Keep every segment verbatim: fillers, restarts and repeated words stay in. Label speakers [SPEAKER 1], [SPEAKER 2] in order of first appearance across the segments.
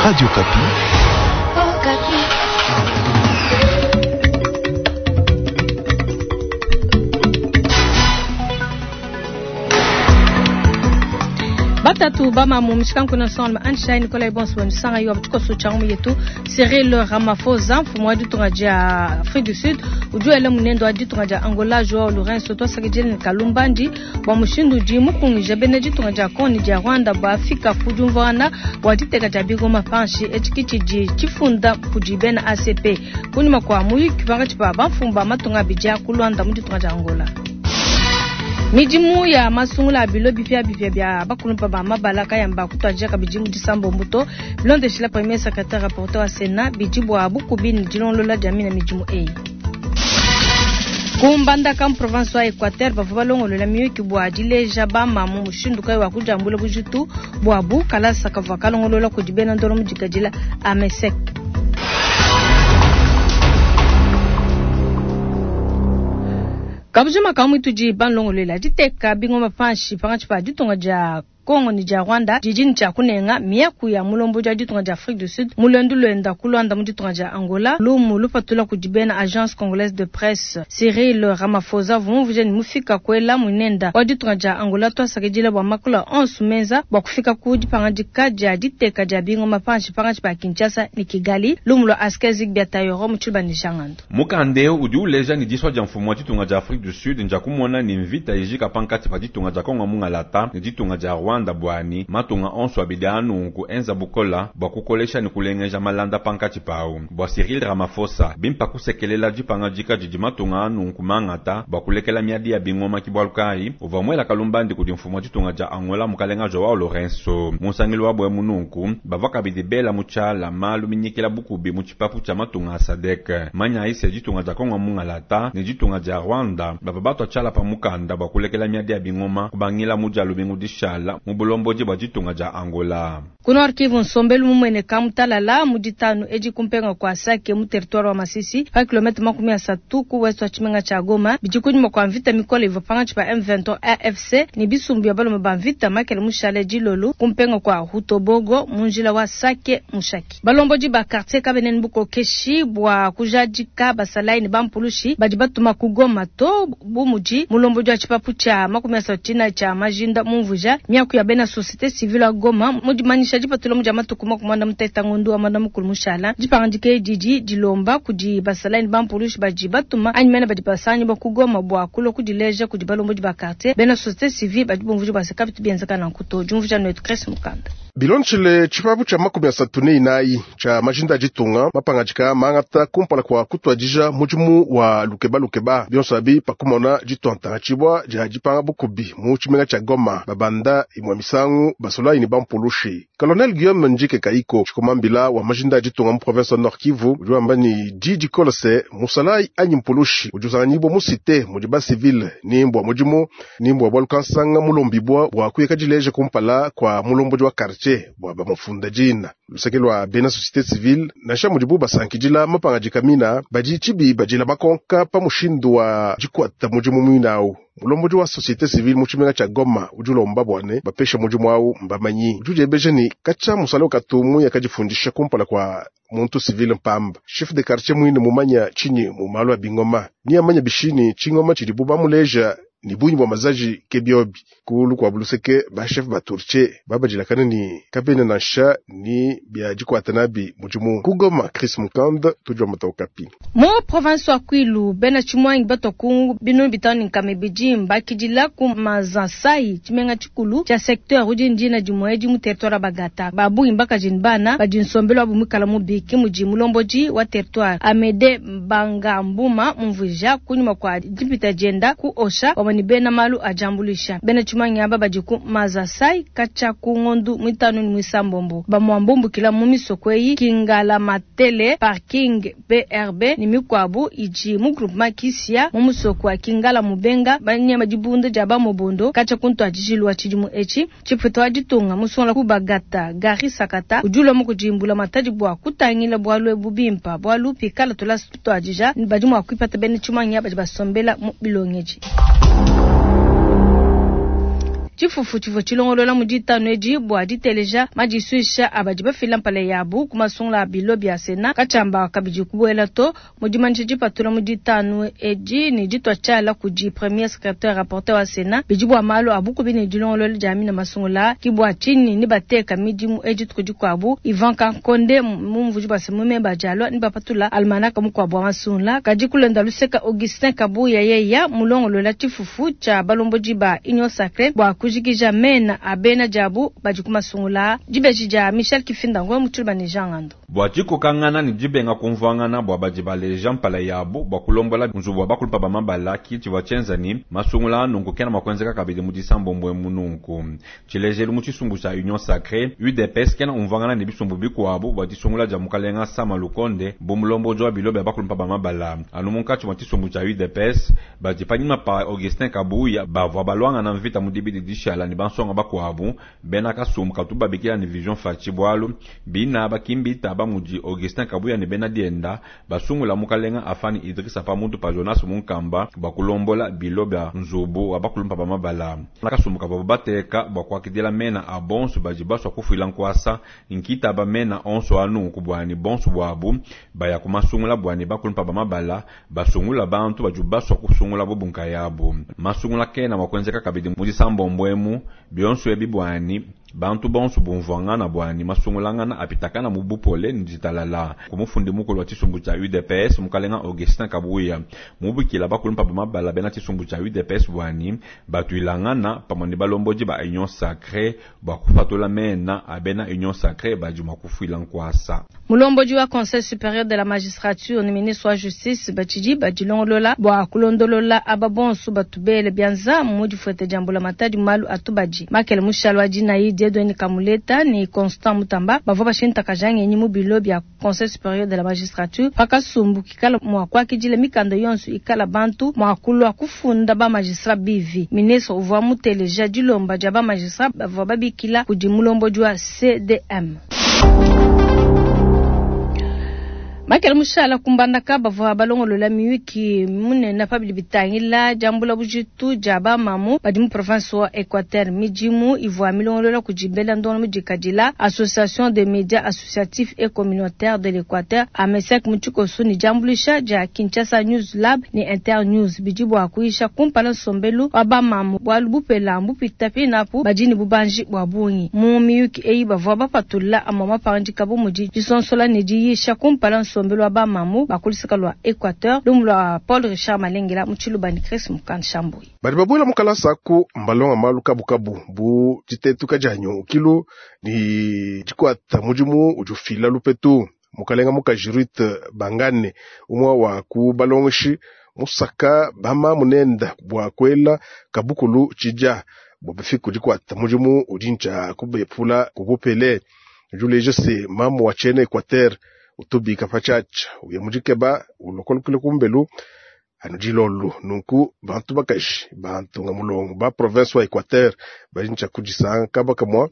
[SPEAKER 1] Radio Okapi.
[SPEAKER 2] Batatu bamamu mishikanku ensemble Anshai Nicolas Bonso Nsanga yo tshikoso tsha ngumu yetu Cyril Ramaphosa mfumu wa ditunga dia Afrique du Sud udi wela munendo wa ditunga dia Angola Joao Lourenço twasakidile ne Kalumbandi bua mushindu udi mukungija bena ditunga dia Congo ne dia Rwanda bafika ku diumvuangana bua diteka dia bingoma panshi etshi tshidi tshifunda kudi bena A C P kunyima kua muyuki pankatshi pa bamfumu ba matunga abidi a ku Luanda mu ditunga dia Angola. Midimu ya masungula a bilo bipia bipia bia bakulumpa ba mabala kayamba kutwadija kabidi mu disambo mbuto bilondeshila premier secrétaire rapporteur wa Sénat bidi bua bukubi ne dilongolola dia mina midimu eyi. Kumbandaka mu province wa Equateur bavua balongolola miyuki bua dileja bamamu mushindu kayi wa kujambula bujitu buabu kalasa kavua kalongolola kudi bena ndolo mu dikadila AMESEC. Kabujima kamwe tudi banlongolela diteka bingoma panshi pankatshi pa ditunga dia Congo ni dia Rwanda didi tshia kunenga miaku ya mulombo dia ditunga dia Afrique du Sud mulendu lwenda ku Luanda mu ditunga dia Angola lumu lupatula kudi bena Agence Congolaise de Presse Cyril Ramaphosa vumvuje ni mufika kwela munenda wa ditunga dia Angola twasakidila bua makula onso menza bua kufika ku dipangadika dia diteka dia bingoma panshi pankatshi pa Kinshasa ni Kigali lumu lwa Askezik Biatayoro mu tshiluba ni Jangando.
[SPEAKER 3] Mukandeo udi uleja ni diswa dia mfumu wa ditunga dia Afrique du Sud nja kumona ni mvita ijika pankatshi pa ditunga dia Congo mungalata ni ditunga dia Rwanda bwani matunga onso abidi anunku enza bukola bua kukolesha ni kulengeja malanda pankatshi pau bua Cyril Ramaphosa bimpa kusekelela dipangadika didi matunga anunku mangata bua kulekela miadi ya bingoma kibwalukai uvua muela kalumbandi kudi mfumu wa ditunga dia Angola mukalenga Joao Lourenço musangilu wa bue mununku bavua kabidi bela mu tshiala malu minyikila bukubi mu tshipapu tshia matunga a SADC manya ise ditunga dia Congo mungalata ni ditunga dia Rwanda bavua batua tshiala pa mukanda bua kulekela miadi ya bingoma kubangila mu dia lubingu dishala mu bulombodi bua ditunga dia Angola.
[SPEAKER 2] Ku Nord Kivu nsombelu mumueneka mutalala mu ditanu edi kumpenga kua Sake mu territoire wa Masisi pa kilomètre makumi asatu ku ouest wa tshimenga tshia Goma bidi kunyima kua mvita mikole ivua pankatshi pa M vingt-trois A F C ne bisumbu bia balume ba mvita makele mushale dilolo kumpenga kua Hutobogo mu njila wa Sake Mushaki. Balombodi ba quartier kabenene bukokeshi bua kujadika basalayi ne bampulushi badi batuma ku Goma to bu mudi mulombodi wa tshipapu tshia makumi asatu tshina tshia majinda mumvuja miaku ya bena société civile ya Goma mu dimanyisha dipatula mu dia matuku makumi muanda mutete ngondu wa mwanda mukulu mushala dipangandike didi dilomba kudi basalayi ne bampulushi badi batuma anyi mene badi basanyi ba ku Goma bua kulua kudileja kudi balombodi ba quartier bena société civile badi bumvuja bua se kabitu bienzeka nanku to diumvuja netu Chris Mukanda.
[SPEAKER 4] Bilonchile tshipapu tshia makumi asatu ne inayi tshia majinda ditunga mapangadika mangata kumpala kua kutwadija mudimu wa lukeba lukeba bionso abi pakumona ditwantanga tshibwa dia dipanga bukubi mu tshimenga tshia Goma babanda imwe misangu basolayi ne bampulushi. Colonel Guillaume Njike Kaiko tshikomambila wa majinda ditunga mu province wa Nord Kivu udi wamba ni didi kolose musalayi anyi mpulushi udi usanganyibwa mu cité mudi ba civile ni mbwa mudimu ni mbwa bwa lukansanga mulombibwa bua kuyeka dileja kumpala kua mulombodi wa quartier bua bamufunda dina luseke lwa bena société civile nansha mudibu basankidila mapangadika mina badi tshibi badila bakonka pa mushindu wa dikwata mudimu muinawu. Mulombodi wa société civile mu tshimenga tshia Goma udi ulomba bwane bapesha mudimu awu mbamanyi udi udiebeja ni katshia musala ukatumu yakadifundisha kumpala kua muntu civile mpamba chef de quartier muine mumanya tshinyi mu malu a bingoma ni amanya bishini tshingoma tshidibu bamuleja ni bunyi bwa mazaji ke biobi kulu kwa buluseke ba chef ba turche babadilakana ni kabene nansha ni bia dikwata nabi mudimu ku Goma. Chris Mukanda tujwa matokapi
[SPEAKER 2] mu province wa Kwilu bena tshimwangi batokungu binu bitanu nkame bidi mbakidila ku mazansai tshimenga tshikulu tshia secteur udi ndina dimwe di mu territoire bagata babungi mbakajini bana badi nsombelu abu mwikala mubiki mudi mulombodi wa territoire Amede Mbangambuma mumvuja kunyuma kwa dipita dienda ku osha wamani bena malu ajambulisha bena tshimangi aba badi ku mazasai katshia ku ngondu mwitanu ni mwisambombo bamwambumbukila mu misoko eyi Kingala Matele parking B R B ni mikwabu idi mu groupement Kisia mu musoko wa Kingala Mubenga banyama dibunda dia bamobondo katshia ku ntwadijilu wa tshidimu etshi tshipeto wa ditunga musongola ku bagata Gari Sakata udi ulua mu kudimbula matadi bua kutangila bualu ebu bimpa bualu pikala tulasa tutwadija badi mua kuipata bena tshimangi aba badi basombela mu bilongeji. Tshifufu tshivua tshilongolola mu ditanu edi bua diteleja madisuisha a badi bafila mpala yabu ku masungula a bilo bia Senat katshiamba kabidi kubuela to. Mu dimanyisha dipatula mu ditanu edi ne ditua tshiala kudi premier secretaire rapporteur wa Senat bidi bua malu a bukubi ne dilongolola dia mina masungula ki bua tshinyi ne bateka midimu edi dituku dikuabu. Ivan Kankonde mumvuji bua se mu meba dialua ne bapatula almanaka mukuabu wa masungula. Kadi kulenda luseka Augustin Kabuya yeya mulongolola tshifufu tshia balombodi ba Union Sacrée bua kujikija mena a bena diabu badi ku masungula. Dibeji dia Michel Kifinda Ngoy mu Tshiluba ne Jean Ngando.
[SPEAKER 3] Bua dikokangana ne dibenga kumvuangana bua badi baleja mpala yabu bua kulombola nzubu wa bakulupa ba mabala ki tshivua tshienza ni masungula anunku kena mua kuenzeka kabidi mu disambombwe mununku. Tshilejelu mu tshisumbu tshia Union Sacrée U D P S kena umvuangana ne bisumbu bikuabu bua disungula dia mukalenga Sama Lukonde bu mulombodi wa bilo bia bakulupa ba mabala. Anu munkatshi mua tshisumbu tshia U D P S badi panyima pa Augustin Kabuya bavua balwangana mvita mu dibidi dishala ne bansonga bakuabu bena kasumbu katu babikila ne Vision Fatshi bwalu bina bakimbita ba mudi Augustin Kabuya ne bena dienda basungula mukalenga Afani Idrissa pamutu pa Jonas Munkamba bakulombola bilo bia nzubu wa bakulumpa ba mabala. Kasumbu kavua bateka bua kuakidila mena a bonso badi basua kufuila nkuasa nkita ba mena onso anu kubwani bonso bwabu baya kumasungula bwani bakulumpa ba mabala basungula bantu badi basua kusungula bobunka yabo. Masungula kena wakwenzeka kabidi mu disambombwemu bionso ebi bwani bantu bonso bumvuangana bwani masungulangana apitakana mu bupole ni ditalala. Kumufundi mukulu wa tshisumbu tshia U D P S mukalenga Augustin Kabuya mubikila bakulumpa ba mabala bena tshisumbu tshia U D P S bwani batuilangana pamwe ne balombodi ba Union Sacrée bua kupatula mena a bena Union Sacrée badi mua kufuila nkuasa.
[SPEAKER 2] Mulombodi wa Conseil supérieur de la magistrature ne ministre wa justice batshidi badilongolola bua kulondolola aba bonso batubele bianza mu difuete dia mbula matadi malu atubadi. Makele mushalo wa dinayi Dieudonné Kamuleta ni Constant Mutamba bavua bashintakaja ngenyi mu bilo bia Conseil supérieur de la magistrature pakasumbu kikala mua kuakidila mikanda yonso ikala bantu mua kulua kufunda ba magistrat bivi. Ministre uvua muteleja dilomba dia ba magistrat bavua babikila kudi mulombodi wa C D M. Makele mushala kumbandaka bavua balongolola miyuki munene pabidi bitangila diambula bujitu dia bamamu badi mu province wa Equateur. Midimu ivua milongolola kudi bela ndongo mudikadila Association des médias associatifs et communautaires de l'Équateur AMESEC mu tshikoso ni diambulisha dia Kinshasa News Lab ni Inter News bidi bua kuisha kumpala nsombelu wa bamamu bualu bupela mbupita pinapu badi ne bubanji bua bungi. Mu miyuki eyi bavua bapatula amua mapangadika bu mudi disonsola ne diyisha kumpala nsombelu wa bamamu bakulisaka lwa Equateur lumu lwa Paul Richard Malengela mu Tshiluba ni Chris Mukanshambui.
[SPEAKER 4] Badi babuela mu kalasa ku mbalonga malu kabukabu bu ditetuka dia nyonkilu ni dikuata mudimu udi ufila lupetu. Mukalenga mukaji Ruth Bangane umwe wa ku balongeshi musaka bamamu nenda bua kuela kabukulu tshija bua bafiku dikuata mudimu udi ntshia kubepula kubupele. Juleje se mamu wa tshiena Equateur utubika pachacha uye mujikeba ulokolokele kumbelu anu dilolu nunku bantu bakaji bantu nga mulongo ba province wa Equateur bali ntsha kudisanga kaba kamwa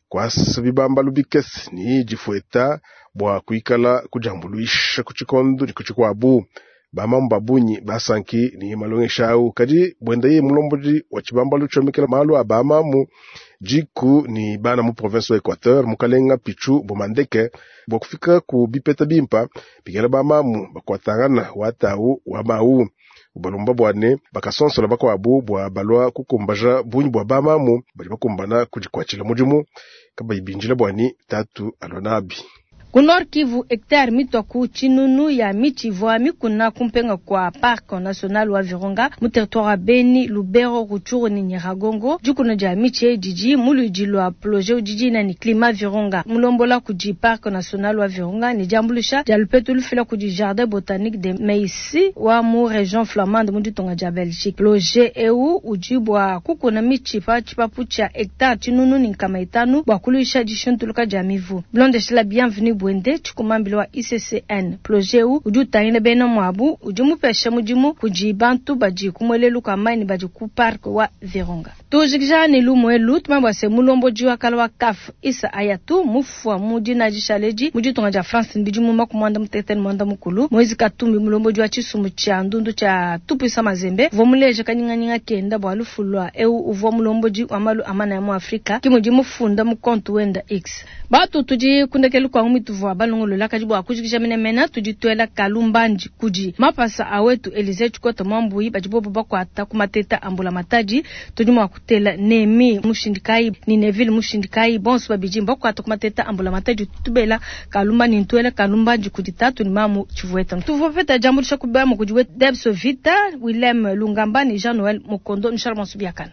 [SPEAKER 4] kwasa bibambalu bikese ni difueta bua kuikala kujambuluisha ku tshikondo ni ku tshikuabu. Bamamu babunyi basanki ni malongesha au kadi bwenda ye mulombodi wa tshibambalu tshomekela malu a bamamu jiku ni bana mu province wa Equateur mukalenga Pichu Bomandeke bua kufika ku bipeta bimpa bikela bamamu bakuatangana watau wa mau ubalomba bwane bakasonsola bakuabu bua balwa kukumbaja bunyi bua bamamu badi bakumbana kudikwatshila mudimu kabayi binjila bwani tatu alonabi.
[SPEAKER 2] Ku Nord Kivu, hectare mitwa ku tshinunu ya miti ivua mikuna kumpenga kwa Parc National wa Virunga mu territoire wa Beni, Lubero, Rutshuru ni Nyiragongo. Dikuna dia miti eyi didi mu luidi lua projet udi dina ni Climat Virunga. Mulombola kudi Parc National wa Virunga ni diambulisha dia lupetu lufila kudi Jardin Botanique de Meisi wa mu region flamande mu ditunga dia Belgique. Projet eu udi bua kukuna miti pa tshipapu tshia hectare tshinunu ni nkama itanu bua kuluisha dishintuluka dia mivu. Bilondeshela Bienvenue buende tshikumambila wa ICCN. Plojet ewu udi utangila bena muabu udi mupesha mudimu kudi bantu badi ku muelelu kua mayi ne badi ku parc wa Virunga. Tujikija ne lumu elu tumanye bua se mulombodi wa kala wa CAF Issa Hayatou mufua mu dina dishala edi mu ditunga dia France ne bidimu makumi muanda mutekete ne muanda mukulu. Moise Katumbi mulombodi wa tshisumbu tshia ndundu tshia Tupuisa Mazembe uvua muleja kanyinganyinga kenda bua lufu lua eu uvua mulombodi wa malu a manaya mu Afrika ki mudi mufunda mu compte wenda X. Batu tudi kundekelu kwa ngumi tuvua balongolola kadi bua kujikija menemene tudi tuela kalumbandi kudi mapasa a wetu Elise Tshikota Mwambuyi badi bobo bakuata ku mateta a mbula matadi tudi mua kutela Nemi Mushindikai ni Neville Mushindikai bonso babidi bakuata ku mateta a mbula matadi tubela kalumbandi ntuela kalumbandi kudi tatu ni mamu Tshivueta tuvua peta jambulisha kubama kudi wetu Debso Vita Willem Lungamba ni Jean Noël Mukondo Nshala Bonso biakana.